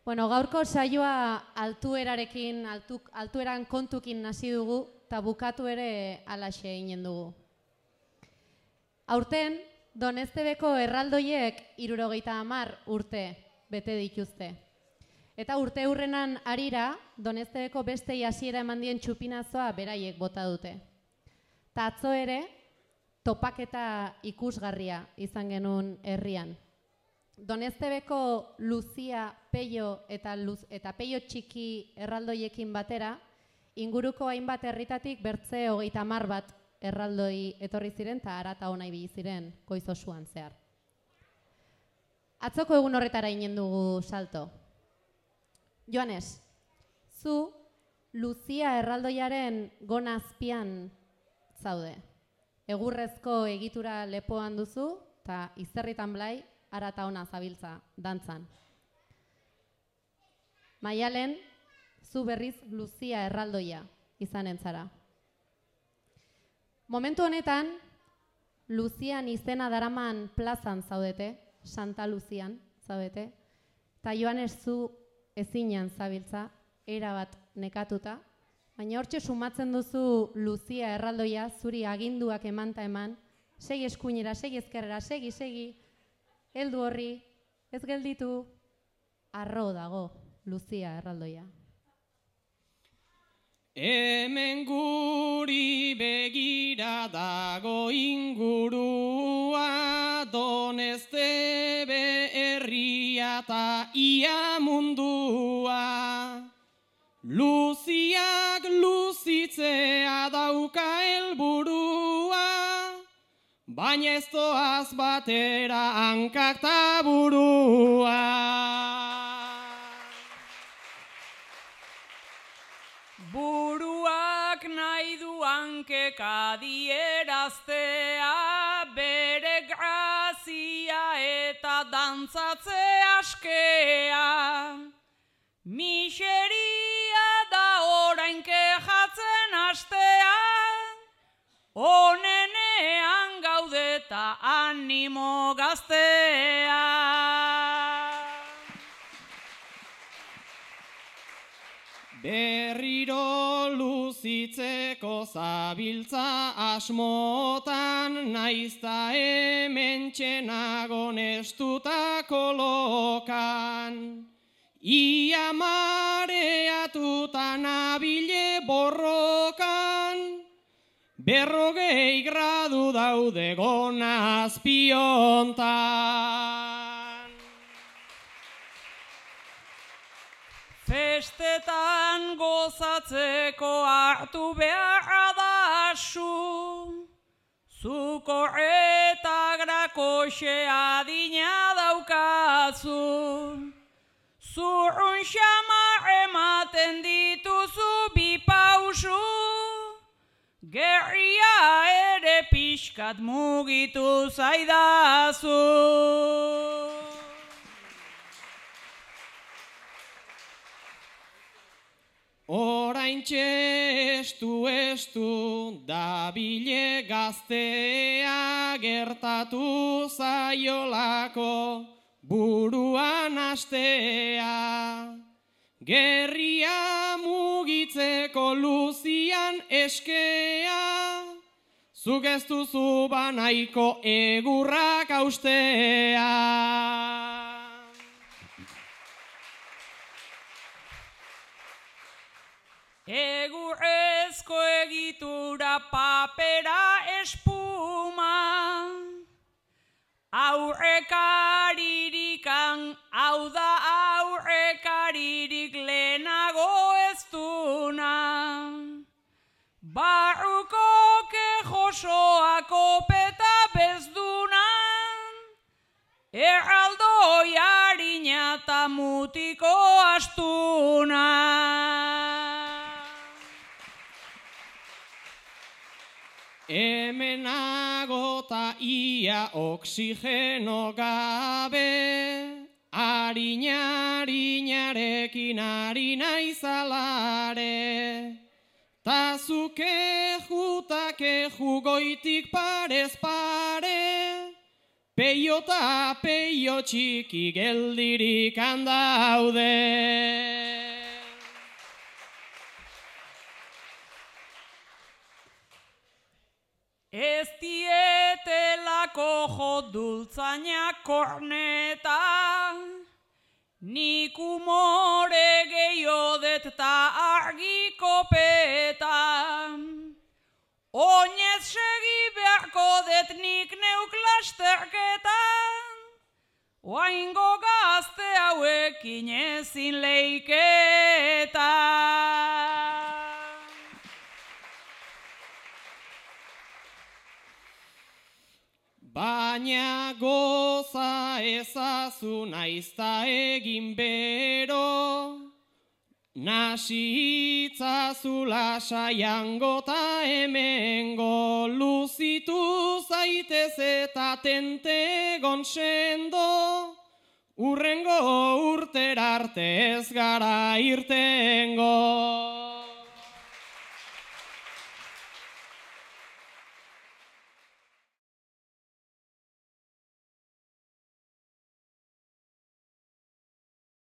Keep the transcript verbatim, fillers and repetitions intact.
Bueno, gaurko saioa altuerarekin, altu, altueran kontukin hasi dugu, eta bukatu ere alaxe eginen dugu. Aurten, Doneztebeko erraldoiek hirurogeita hamar urte bete dituzte. Eta urte hurrenan harira, Doneztebeko bestei hasiera eman dien txupinazoa beraiek bota dute. Ta atzo ere, topaketa ikusgarria izan genuen herrian. Doneztebeko Luzia, Peio eta, Luz, eta Peio txiki erraldoiekin batera, inguruko hainbat herritatik bertze hogeita hamar bat erraldoi etorri ziren eta harata hona ibili ziren goiz osoan zehar. Atzoko egun horretara inen dugu salto. Joanes, zu Luzia erraldoiaren gona azpian zaude. Egurrezko egitura lepoan duzu eta izerritan blai harata hona zabiltza dantzan. Maialen, zu berriz Luzia erraldoia izanen zara. Momentu honetan, Luzian izena daraman plazan zaudete, Santa Luzian zaudete, eta Joanes zu ezinean zabiltza, erabat nekatuta, baina hortxe sumatzen duzu Luzia erraldoia, zuri aginduak emanta eman, segi eskuinera, segi ezkerrera, segi, segi, heldu horri, ez gelditu, arro dago Luzia erraldoia. Hemen guri begira dago ingurua, Doneztebe herria ta ia mundua. Luziak luzitzea dauka helburua, baina ez doaz batera hankak ta burua. Buruak nahi du hankek adieraztea, bere grazia eta dantzatze askea. Miseria da orain kejatzen astea, onenean gaudeta animo gaztea. Berriro luzitzeko zabiltza asmotan, naizta hemen txenago nestuta kolokan. Ia mareatuta nabile borrokan, berrogei gradu daude gona azpiontan. Festetan gozatzeko hartu beharra da su, zuko eta grakoxe adina daukazu. Zurrun xamar ematen dituzu bi pausu, gerria ere pixkat mugitu zaidazu. Oraintxe estu estu dabile gaztea, gertatu zaiolako buruan astea. Gerria mugitzeko Luzian eskea, zuk ez duzu banaiko egurrak austea. Egurrezko egitura papera espuma, aurrekaririkan, hau da aurrekaririk lehenago ez duna. Barruko kejosoa kopeta bezduna, erraldoi harina eta mutiko astuna. Hemenago ta ia oksigeno gabe, harina-harinarekin ari naizalare. Ta zuke juta keju goitik parez pare, peiota peio txiki geldirik handaude. Ez dietelako jodultzainak korneta, nik umore gehiodet ta argiko peta. Oinez segi beharko det nik neuk lasterketan, oaingo gazte hauekin ezin leiketa. Baina goza ezazu naizta egin bero, nasi itzazu lasaiango ta hemengo, luzitu zaitez eta tentegon sendo, urrengo urtera arte ez gara irtengo.